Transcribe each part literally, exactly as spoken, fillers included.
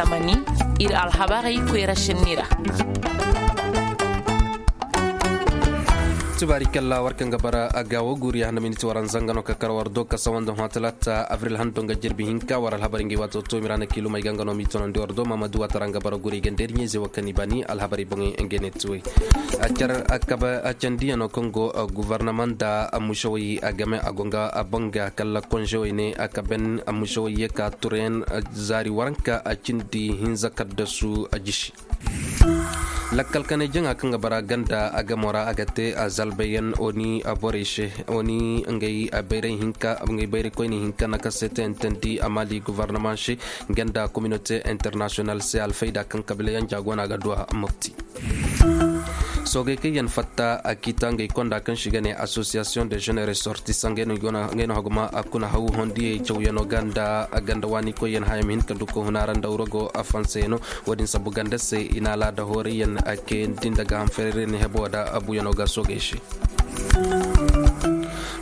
Mani, ir alhabarey koyra senni ra. Tubaari kalla war kaŋ ga bara a ga wo guuri ya handa miniti waranza nga no ka kar war do ka sawanda hõ talaata abril hando nga jirbi hinka war alhabarey ngey waato to mirana kiilumey ga nga no m'i tonandi war do mamadu waatara nga bara guuri ganda ir ɲeeze wo kaŋ i bani alhabarey boŋey nga ne tuwey. A car a kaba a candiyaŋo kaŋ go guvarnama nda amusawey a game a go nga a boŋ ga kalla konzewey ne a kaben amusawey ye ka turayaŋ zaari waranka a cindi hinza kaddasu a jisi. Lakkal kanay jaŋa kaŋ ga bara ganda a gamo ra a ga te a zalbayaŋ oni a borey se oni ngey a bayray hinka ngey bayray koyne hinka na ka se te intandi a mali guvarnama se ganda kominote internasiyonal se alfayda kaŋ kabilayaŋ jaago no a ga du a mopti. Soogey kaŋ yaŋ fatta a kiita ngey konda kaŋ se i ga ne asosiyasiyoŋ de jeune resortisaŋ ngey no haguma a kuna haw hondiyey cawyaŋo ga nda ganda waani koyyaŋ haya ma hin ka du ka huna ra nda wuro go a fansayaŋo. Wo-din sabu ganda se i na alaada hoorayyaŋ a kayandi nda gaaham fererey ne hebo da abuyaŋo ga soogey se.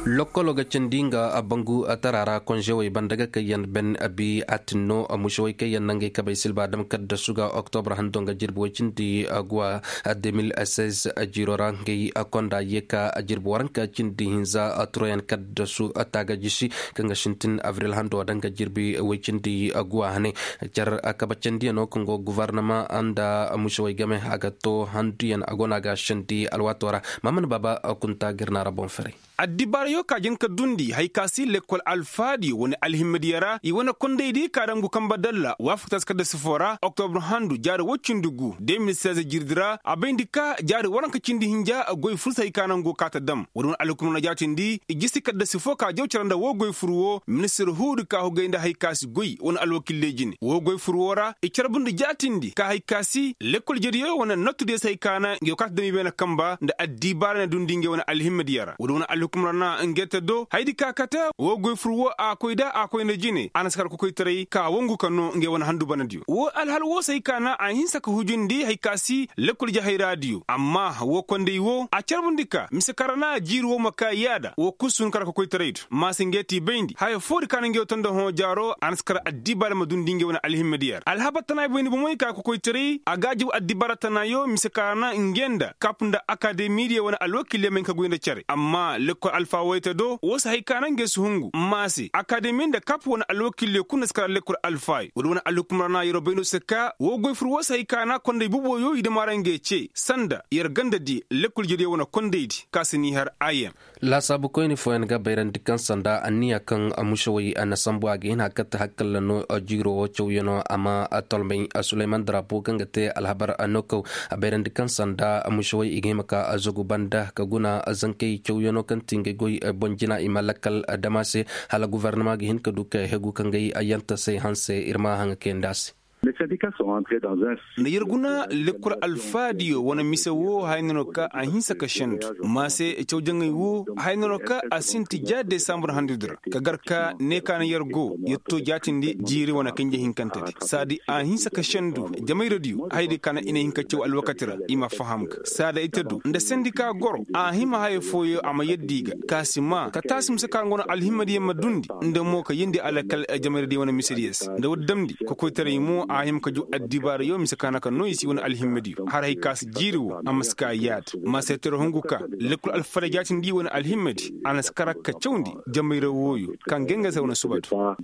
Lokkolo ga cindi nga bangu tara ra konzewey banda ga kaŋ yaŋ ben abi a tinno musewey kaŋ yaŋ na ngey kabey silba dam kaddasu ga oktobra hando nga jirbi way cindi guwa. Deux mille seize jiiro ra ngey konda ye ka jirbi waranka cindi hinza turayaŋ kaddasu taaga jisi kaŋ ga sintin abril hando da nga jirbi way cindi guwa hane. Car kabacandiyaŋo kaŋ go guvarnama nda musewey game a ga to handuyaŋ a go no a ga sandi alwaato ra. Maman baaba kunta ga ir na ra boŋ ferey. Addibaarayo ka jin ka dundi hari ka si lekkol alfaadiyo wane alhimmadiyo ra i wane kondaydi ka dangu kamba dalla waafakta si kadda sifo ra oktobur handu jaari woy cindi gu deux mille seize jirdi ra a bayndi ka jaari waranka cindi hinja goy fur si hari ka naŋ go ka ta dam woodi wane alhukumar na jaatindi i jisi kadda sifo ka jaw cara nda woo goy fur woo ministir huudi ka hugay nda hari ka si goy wane alwakilley jine woo goy fur woo ra i carbundi jaatindi ka hari ka si lekkol jediyo wane nottudiyo si hari ka naŋ ngey wo ka ta dam i beene kamba nda addibaara na dundi ngey wane alhimmadiyo ra woodi wane alhukumar na ngey ta do haydi ka kate woo goy fur woo a koy da a koy nda jine a na si kar kokoytaray ka wangu ka noo ngey wane handu banadiyo woo alhal woo si hari ka naŋ a hinsa ka hujundi hari ka si lekkol jahayraadiyo amma woo konday woo a carbundi ka mise ka ra na jiiri woo ma ka yaada woo kul si hun kar kokoytaray do maase ngey ti bayndi haya foodi ka na ngey wo to nda hõ jaaro a na si kar addibaara ma dundi ngey wane alhimmadiyo ra alhabar tana bayndi bomey ka kokoytaray a ga a jaw addibaara tanaayo mise ka ra na ngey nda kap nda akademidiyo wane alwakiley ma hin ka goy nda care amma lekkol alfa woyte do woo si hari ka naŋ ngey si hungu maase akademi nda kap wane alwakiley kul na si kar lekkol alfaayo woodi wane alhukumar na yeroo bayndo se ka woo goy fur woo si hari ka naŋ konday buboyo i dama ra ngey cee sanda yer gandadi lekkol jediyo wane kondaydi ka si n'i har a yaŋ. Laasaabu koyne fooyaŋ ga bayrandi kaŋ sanda anniya kaŋ musewey na sambu a ga hin a katta hakkalla no jiiro woo cawyaŋo a ma tolmay suleyman darapo kaŋ ga te alhabar a no kaw a bayrandi kaŋ sanda musewey i ga hima ka zagu banda ka guna zankey cawyaŋo kaŋ ti ngey goy boŋ jina i ma lakkal dama se hala guvarnama ga hin ka du ka hegu ka ngey ayyantasey hanse ir ma haŋa kayandi a se. Nda yer guna lekkol alfaadiyo wane mise woo haya no no ka a hinsa ka sendu maase caw jaŋay woo haya no no ka a sinti ja desambur handudi ra ka gar ka ne ka na yer go yer to jaatindi jiiri wane kanje hinkantedi saadi a hinsa ka sendu jamayradiyo haydi ka na i na hin ka caw alwakati ra i ma faham ga saada ite du nda sendika goro a hima haya fooyo a ma yadda i ga ka si maa ka taasi mise ka nga no alhimmadiyo ma dundi nda mo ka yindi alakal jamayradiyo wane misediyo se nda woodi damndi kokoytaray mo a hima ka jaw addibaarayo mise ka na ka no i si wane alhimmadiyo har hay ka si jiiri wo a ma si ka yaada ma seetero hungu ka lekkol alfada jaatindi wane alhimmadi a na si kar ka cawndi jamayra wooyo ka nga nga se wane suba do.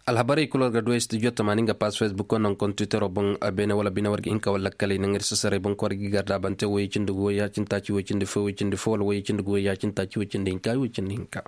Alhabarey kul war ga du ay studio tamaani nga paas facebook wo naŋ kompitero boŋ beene wala bine war ga hin ka wala lakkaley naŋ ir sasaray boŋ ka war ga i garda bante woyey cindi gu woyey ya cindi taaci woy cindi fo woy cindi fo wala woyey cindi gu woyey ya cindi taaci woy cindi hinka woy cindi hinka.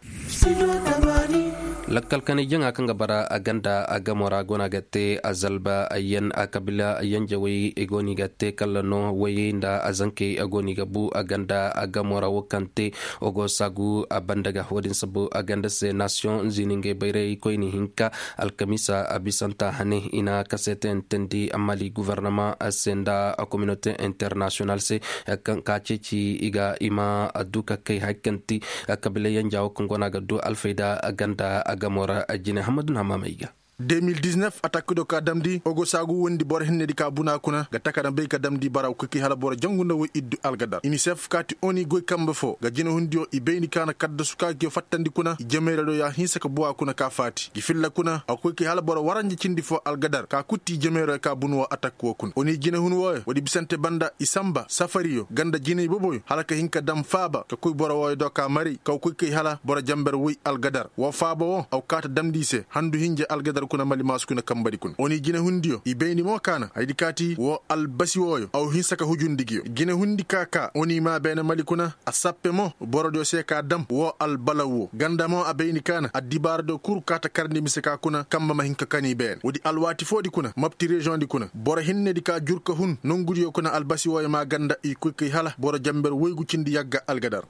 Lakkal kanay jaŋa kaŋ ga bara a ganda a gamo ra go no a ga te a zalba ayyan a kabila ayyan jawey i go no i ga te kalla no woyey nda a zankey a go no i ga bu a ganda a gamo ra wo kaŋ te wo go saagu a banda ga wo- din sabu a ganda se nasiyoŋ zini ngey bayray koyne hinka alkamiisa a bisanta hane i na kaseetayantandi mali guvarnama se nda kominote internasiyonal se kaŋ ka ceeci i ga i ma du ka kay hari kaŋ ti kabilayaŋ jaawo kaŋ go no a ga du alfayda ganda gamo ra jine hammadu na hammaamay ga. De mil diznef atakkido ka damndi ogo saagu wondi boro hinnedi ka buna kuna ga taka na bay ka damndi bara koy kay hala boro jangu nda woy iddu algadar inisef kaati oni goy kambe foo ga jinehundiyo i bayndi ka na kaddasu ka gi fattandi kuna i jemeeradiyo ya hinsa ka buwa kuna ka faati gi filla kuna a koy kay hala boro waranja cindi foo algadar ka kutti i jemeeradiyo ka bunu woo atakki woo kuna oni jinehun wooyo woodi bisante banda i sanba safariyo ganda jiney boboyo hala ka hin ka dam faaba ka koy boro wooyo do ka maray ka koy kay hala boro janber woy algadar woo faaba woo a kaa ta damndi i se handu hinja algadar kuna mali maasu kuna kambadi kuna oni jinehundiyo i bayndi mo kaana haydi kaati woo albasi wooyo a hinsa ka hujundi ngiyo jinehundi ka kaa oni maa beene mali kuna a sappe mo borodiyo se ka dam woo albalaw woo ganda mo a bayndi kaana addibaaradiyo kul kaa ta karndi mise ka kuna kamba ma hin ka kani beene woodi alwaati foodi kuna mapti reziyoŋdi kuna boro hinnedi ka jur ka hun nongudiyo kuna albasi wooyo maa ganda i koy kay hala boro janber woygu cindi yagga algadar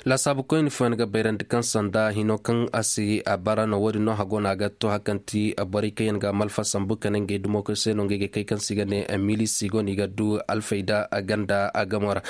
laasaabu koyni fooyaŋ ga bayrandi kaŋ sanda hino kaŋ a si a bara no woodin no hago no a ga to hakanti borey kaŋ yaŋ ga malfa sambu ka ne ngey dumo koy se no ngey ga kay kaŋ se i ga ne milisi go no i ga du alfayda ganda a gamo ra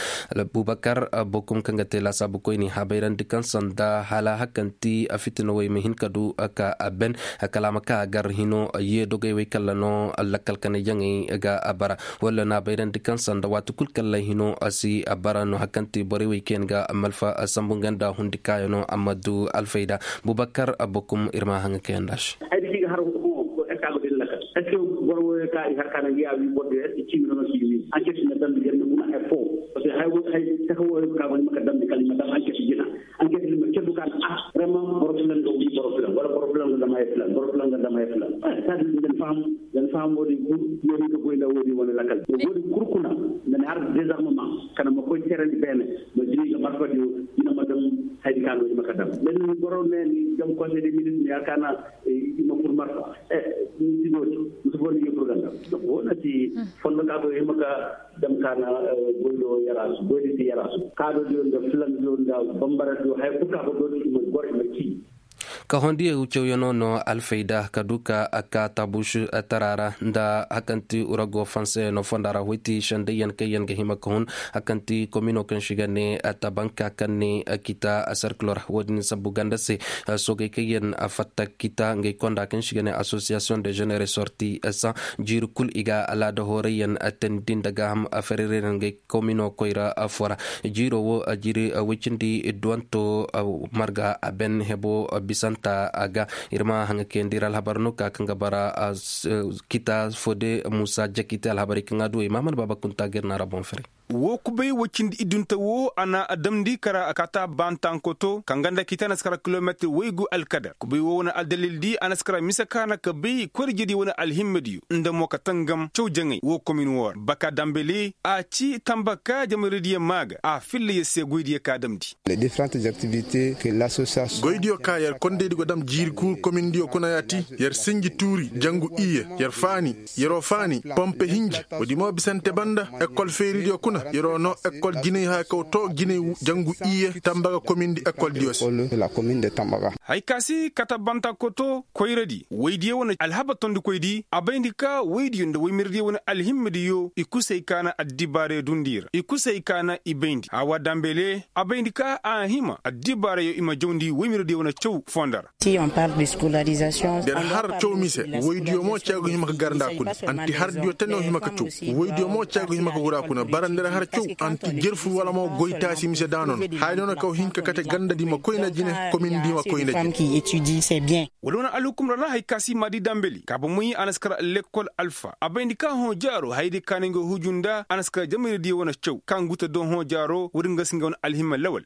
bubakar bokum kaŋ ga te laasaabu koyni habayrandi kaŋ sanda hala hakanti a fitina wey ma hin ka du ka a ben kala a ma ka a gar hino ye dogey wey kalla no lakkal kanay jaŋey ga a bara walla no a bayrandi kaŋ sanda waati kul kalla hino a si a bara no hakanti borey wey kaŋ yaŋ ga malfa sambu nga nda hundi kaayano a ma du alfayda bubakar bokum ir ma haŋa kaŋ yaŋ da se. Ay da ci ga har hukumo ko ekka go din lakal est ce que boro wo ka i har kana ya wi boro de est ce que ci mi no ci wi an ke na dan yan na kuna efo parce que hay hay ta ko ka go maka dan kala ma dan an ke jina an ke ma ke du kan ah vraiment boro filan go wi boro filan wala boro filan go dama filan boro filan go dama filan sa di den fam den fam wodi ku yo ni ko goyna wodi wala lakal wodi kurkuna men har désarmement kana ma koy terandi bene ma jini ga marfa di ina ma dam hay kan wodi maka dam men boro ne ni jam conseil des ministres ya kana ima fur marfa e ni ti doti musu boni yo fur ganda wona ti fondo ka go ima ka dam kana goydo yarasu goydi ti yarasu kado di onda filan di onda bambara di hay kuka go doti ima gor ima ki ka hondi ye wucewyaŋo no alfayda ka du ka a ka tabusu tara ra nda hakanti urago fanse no fonda ra hoyti sendayyaŋ kaŋ yaŋ ga hima ka hun hakanti komino kaŋ si ga ne tabanka kaŋ ne kita serkilo ra wo-din sambu ganda se soogey kaŋ yaŋ fatta kita ngey konda kaŋ si ga ne association de jeune ressorti san jiiri kul i ga alaada hoorayyaŋ teendi nda gaaham fererey ra ngey komino koyra foo ra jiiro wo jiiri woy cindi duwanto marga a ben hebo bisanta a ga ir ma haŋa kayandi ir alhabar no ka kaŋ ga bara kita fode musa jakite alhabarey kaŋ a duwey mahammad baaba kunta ga ir naara boŋ fere wo kubay woy cindi iddunta wo a na a damndi kara a kaata baantankoto kaŋ ganda kita na si kara kilometir waygu alkadar kubay wo wane aldalil di a na si kara mise kaana ka bay koyra jedi wane alhimmediyo nda mo ka tangam caw jaŋay wo komin wo ra baka dambele a ci tamba ka jamaradiyo maa ga a filla yer se goydiyo ka damndi goydiyo ka yer kondaydi go dam jiiri kuuru komindiyo kuna yaati yer sinji tuuri jangu iyye yer faani yeroo faani pompe hinji woodi mo bisante banda ekol feeridiyo kuna yeroo noo ekol jinay haya kaw too jinay jangu iyye tambaga komindi ekoldiyo se haya ka si kata banta koto koyradi woydiyo wane alhaba tondikoydi a bayndi ka woydiyo nda woymiradiyo wane alhimmadiyo i kusay ka na addibaarey dundi ra i kusay ka na i bayndi hawa dambele a bayndi ka a hima addibaarayo i ma jawndi woymiradiyo wane caw fonda ra der har caw mise woydiyo mo caagu hima ka gar nda a kuna anti hardiyo tane wo hima ka caw woydiyo mo caagu hima ka gura kuna bara nda der har caw anti jerfur wala mo goy taasi mise daano no haya no na kaw hin ka kate ganda di ma koyna jine komin di ma koyna jine wala wane alhukum ra na hay ka si maadi dambeli ka ba moy a na si kar lekkol alfa a bayndi ka hõ jaaro hayadi ka na nga huju nda a na si kar jamayra diyo wane caw ka nga guta do hõ jaaro woodi nga si nga wane alhima lawal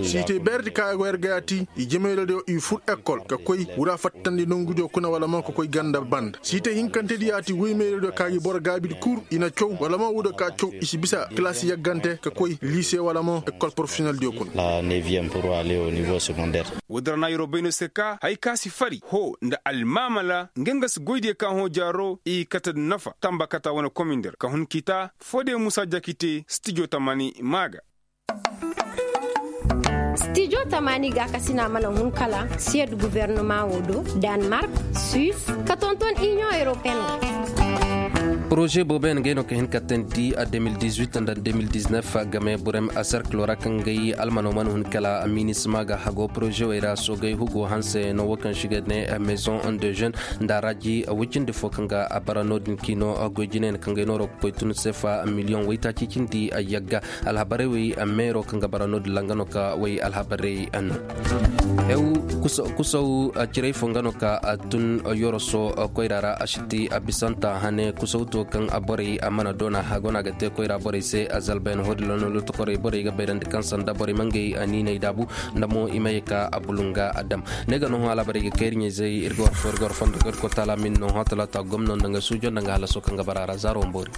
siitey beeredi ka go yer ga yaati i jamayradiyo i fur ekol ka koy wura fattandi nongudiyo kuna wala mo ka koy ganda banda siitey hinkantedi yaati woymayradiyo ka gi boro gaabidi kul i na caw wala mo wudo ka caw i si bisa kilaasi yaggante ka koy liise wala mo ekol porofesiyoneldiyo kuna woodi ra na yeroo bay no se ka hay ka si fari hoo nda almaamala nga nga si goydiyo ka hõ jaaro i kate nda nafa tamba kata wane komindir ka hun kita foodiyo muusa jakite stijo tamani maa ga stijo tamani ga ka si na a mana hun kala siyed gubernama wo do danmark suis ka tonton iniyoŋ eropeen wo Poroze boobo yaŋ ga ay no ka hin ka tandi a deux mille dix-huit nda deux mille dix-neuf game burem a serkilo ra kaŋ ga ay almano mana hun kala minisma ga hago poroze wey ra soogay hugo hanse no wo kaŋ si ga ne maison de jeune nda raaji wicindi fo kaŋ ga a bara no- din kiino goy jinay na kaŋ ga ay nooro ga koy tun sefa miliyoŋ waytaaci cindi yagga. Alhabarey wey meero kaŋ ga bara no- din ra nga no ka wey alhabarey no. Kusaw cirey fo nga no ka a tun yoroso koyra ra a si ti a bisanta hane kusaw to kaŋ a borey a mana doona a go no a ga te koyra borey se a zalbayan hodi lono lotokorey borey ga bayrandi kaŋ sanda borey mangey a niiney daabu nda mo i ma ye ka a bulunga a dam. Ne ga no hõ alhabarey ga kayri ɲayzey ir ga war fo ir ga war fondo ga ir kotaala min no hõ talaata gomno nda nga suujo nda nga halaso kaŋ ga bara ra zaaro mboori.